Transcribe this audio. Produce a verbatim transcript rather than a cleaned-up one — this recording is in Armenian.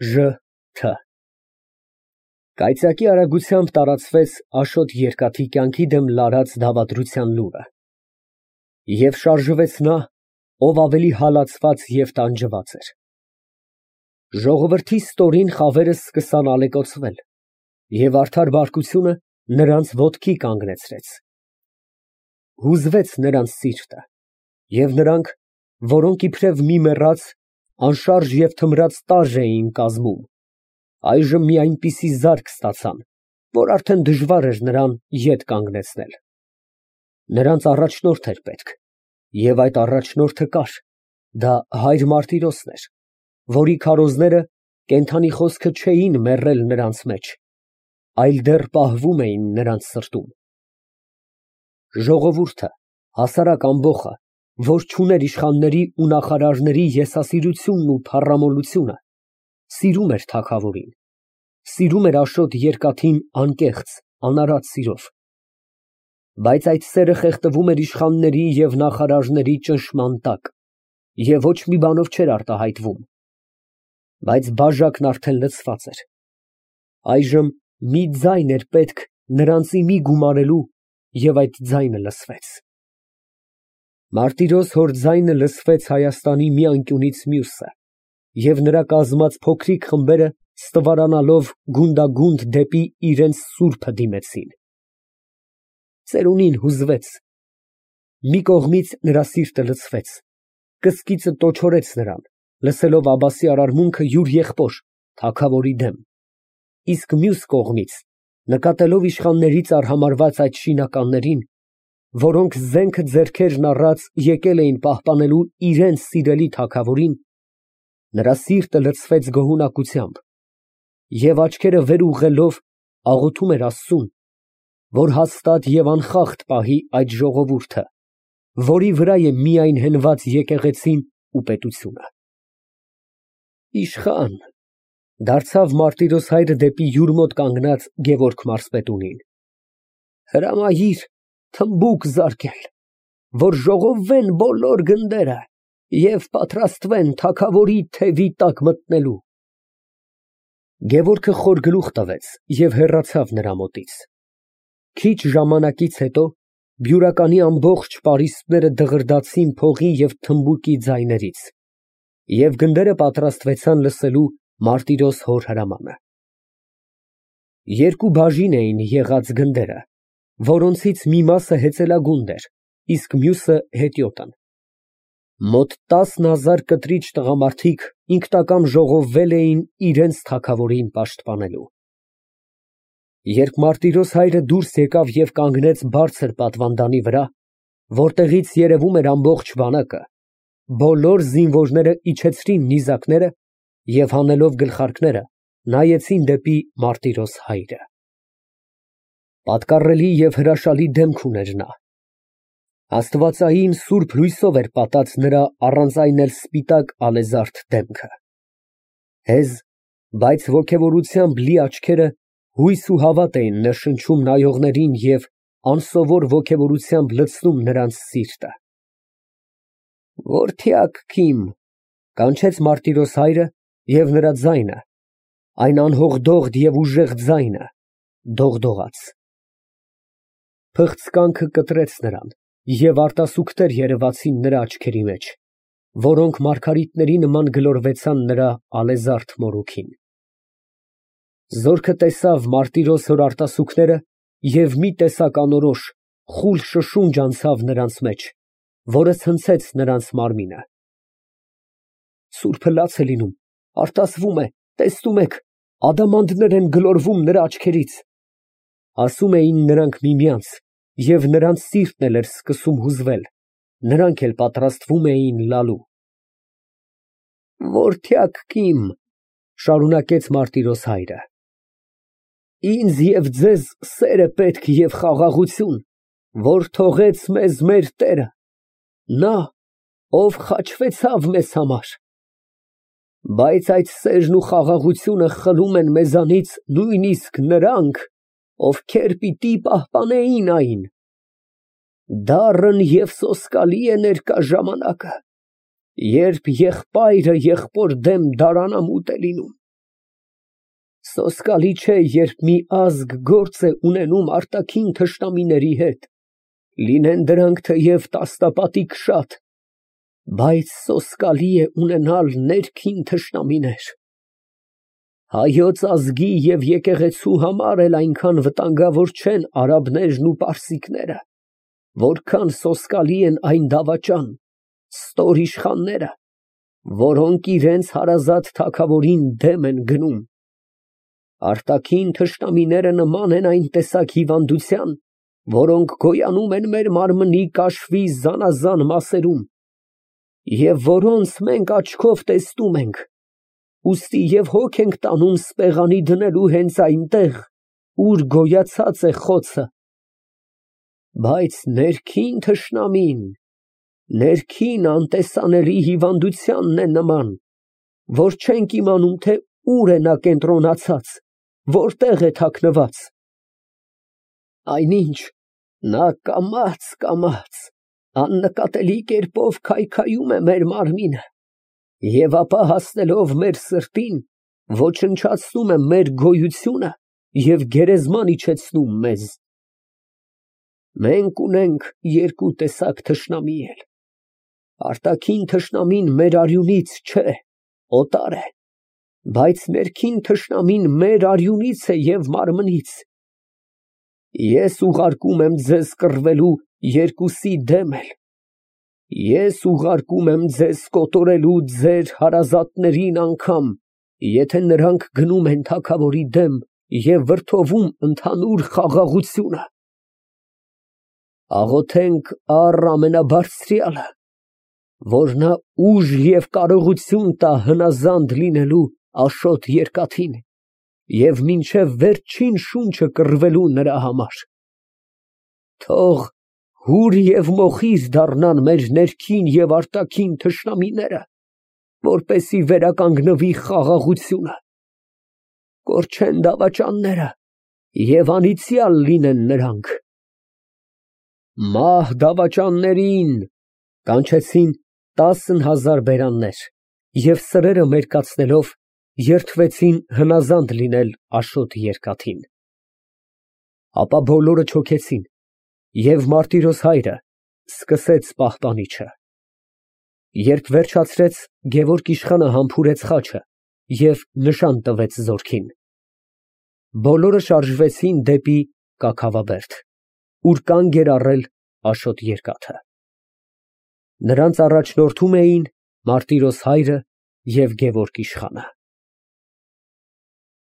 Ժ Թ Կայծակի արագությամբ տարածվեց Աշոտ երկաթի կյանքի դեմ լարած դավադրության լուրը, և շարժվեց նա, ով ավելի հալածված և տանջված էր. ժողովրդի ստորին խավերը սկսան ալեկոծվել, և արդար բարկությունը նրանց ոտքի կանգնեցրեց. հուզվեց նրանց սիրտը, և նրանք, որոնք իբրև մի մեռած, անշարժ և թմրած տարր էին կազմում, այժմ մի այնպիսի զարկ ստացան, որ արդեն դժվար էր նրան ետ կանգնեցնել. նրանց առաջնորդ էր պետք, և այդ առաջնորդը կար, դա հայր Մարտիրոսն էր, որի քարոզները կենդանի խոսքը չէին մեռել նրանց մեջ, այլ դեռ պահվում էին նրանց սրտում։ Ժողովուրդը, հասարակ ամբոխը, որ չուներ իշխանների ու նախարարների եսասիրությունն ու փառամոլությունը, սիրում էր թագավորին, սիրում էր Աշոտ երկաթին անկեղծ, անարատ սիրով, բայց այդ սերը խեղդվում էր իշխանների և նախարարների ճնշման տակ և ոչ մի բանով չէր արտահայտվում, բայց բաժակն արդեն լցված էր, այժմ մի ձայն էր պետք նրան ծիմի գումարելու, և այդ ձայնը լսվեց։ Մարտիրոս հոր ձայնը լսվեց Հայաստանի մի անկյունից մյուսը, և նրա կազմած փոքրիկ խմբերը ստվարանալով գունդագունդ դեպի իրանց սուրբը դիմեցին։ Ծերունին հուզվեց, մի կողմից նրա սիրտը լցվեց, կսկիծը տոչորեց նրան, լսելով Աբբասի արարմունքը յուր եղբոր, թագավորի դեմ, իսկ մյուս կողմից, նկատելով իշխաններից արհամարհված այդ շինականներին, որոնք զենքը ձեռքերն առած եկել էին պահպանելու իրենց սիրելի թագավորին, նրա սիրտը լցվեց գոհունակությամբ, և աչքերը վեր ուղղելով աղոթում էր Աստծուն, որ հաստատ և անխախտ պահի այդ ժողովուրդը, որի վրա է միայն հենված եկեղեցին ու պետությունը։ Իշխա՛ն, ֊ դարձավ Մարտիրոս հայրը դեպի յուր մոտ կանգնած Գևորգ մարզպետունին, ֊ հրամայիր թմբուկ զարկել, որ ժողովվեն բոլոր գնդերը և պատրաստվեն թագավորի թևի տակ մտնելու։ Գևորգը խոր գլուխ տվեց և հեռացավ նրա մոտից։ Քիչ ժամանակից հետո բյուրականի ամբողջ պարիսպները դղրդացին փողի և թմբուկի ձայներից, և գնդերը պատրաստվեցան լսելու Մարտիրոս հոր հրամանը։ Երկու բաժին էին եղած գնդերը, որոնցից մի մասը հեծելագունդ էր, իսկ մյուսը հետիոտն։ Մոտ տասն հազար կտրիչ տղամարդիկ ինքնակամ ժողովվել էին իրենց թագավորին պաշտպանելու։ Երբ Մարտիրոս հայրը դուրս եկավ և կանգնեց բարձր պատվանդանի վրա, որտեղից երևում էր ամբողջ բանակը, բոլոր զինվորները իջեցրին նիզակները և հանելով գլխարկները, նայեցին դեպի Մարտիրոս հայրը։ Պատկառելի և հրաշալի դեմք ուներ նա, աստվածային սուրբ լույսով էր պատած նրա առանց այն էլ սպիտակ ալեզարդ դեմքը, հեզ, բայց ոգևորությամբ լի աչքերը հույս ու հավատ էին ներշնչում նայողներին և անսովոր ոգևորությամբ լցնում նրանց սիրտը։ Որդյակ քիմ, ֊ կանչեց Մարտիրոս հայրը, և նրա ձայնը, այն անհոգդոխտ և ուժեղ ձայնը, դողդողաց։ Փղծկանքը կտրեց նրան, և արտասուքներ երևացին նրա աչքերի մեջ, որոնք մարգարիտների նման գլորվեցան նրա ալեզարդ մորուքին։ Զորքը տեսավ Մարտիրոս հոր արտասուքները և մի տեսակ անորոշ, խուլ շշունջ անցավ նրանց մեջ, որը ցնցեց նրանց մարմինը։ Սուրբը լաց է լինում, արտասվում է, տեսնում եք, ադամանդներ են գլորվում նրա աչքերից, ֊ ասում էին նրանք միմյանց, և նրանց սիրտն էլ էր սկսում հուզվել, նրանք էլ պատրաստվում էին լալու։ Որդյակ քիմ, ֊ շարունակեց Մարտիրոս հայրը, ֊ ինձ և ձեզ սեր է պետք և խաղաղություն, որ թողեց մեզ մեր տերը, նա, ով խաչվեցավ մեզ համար, բայց այդ սերն ու խաղաղությունը խլում են մեզանից նույնիսկ նրանք, ովքեր պիտի պահպանեին այն։ Դառն և սոսկալի է ներկա ժամանակը, երբ եղբայրը եղբոր դեմ դարանամուտ է լինում։ Սոսկալի չէ, երբ մի ազգ գործ է ունենում արտաքին թշնամիների հետ, լինեն դրանք թեև տասնապատիկ շատ, բայց սոսկալի է ունենալ ներքին թշնամիներ։ Հայոց ազգի և եկեղեցու համար էլ այնքան վտանգավոր չեն արաբներն ու պարսիկները, որքան սոսկալի են այն դավաճան, ստոր իշխանները, որոնք իրենց հարազատ թագավորին դեմ են գնում։ Արտաքին թշնամիները նման են այն տեսակ հիվանդության, որոնք գոյանում են մեր մարմնի կաշվի զանազան մասերում, և որոնց մենք աչքով տեսնում ենք, ուստի և հոգ ենք տանում սպեղանի դնելու հենց այնտեղ, ուր գոյացած է խոցը։ Բայց ներքին թշնամին, ներքին անտեսանելի հիվանդությանն է նման, որ չենք իմանում, թե ուր է նա կենտրոնացած, որտեղ է թաքնված։ Այնինչ, նա կամաց֊կամաց, աննկատելի կերպով քայքայում է մեր մարմինը և ապա հասնելով մեր սրտին, ոչնչացնում է մեր գոյությունը և գերեզման իջեցնում մեզ։ Մենք ունենք երկու տեսակ թշնամի էլ. արտաքին թշնամին մեր արյունից չէ, օտար է, բայց ներքին թշնամին մեր արյունից է և մարմնից։ Ես ուղարկում եմ ձեզ կռվելու երկուսի դեմ էլ. ես ուղարկում եմ ձեզ կոտորելու ձեր հարազատներին անգամ, եթե նրանք գնում են թագավորի դեմ և վրդովում ընդհանուր խաղաղությունը։ Աղոթենք առ ամենաբարձրյալը, որ նա ուժ և կարողություն տա հնազանդ լինելու Աշոտ Երկաթին և մինչև վերջին շունչը կռվելու նրա համար։ Թող հուր և մոխիր դառնան մեր ներքին և արտաքին թշնամիները, որպեսզի վերականգնվի խաղաղությունը, կորչեն դավաճանները և անիծյալ լինեն նրանք։ Մահ դավաճաններին, կանչեցին տասն հազար բերաններ և սրերը մերկացնելով, երդվեցին հնազանդ լինել Աշոտ Երկաթին։ Ապա բոլորը չոքեցին, և Մարտիրոս հայրը սկսեց պահպանիչը։ Երբ վերջացրեց, Գևորգ իշխանը համբուրեց խաչը և նշան տվեց զորքին։ Բոլորը շարժվեցին դեպի Կաքավաբերդ, ուր կանգ էր առել Աշոտ Երկաթը։ Նրանց առաջնորդում էին Մարտիրոս հայրը և Գևորգ իշխանը։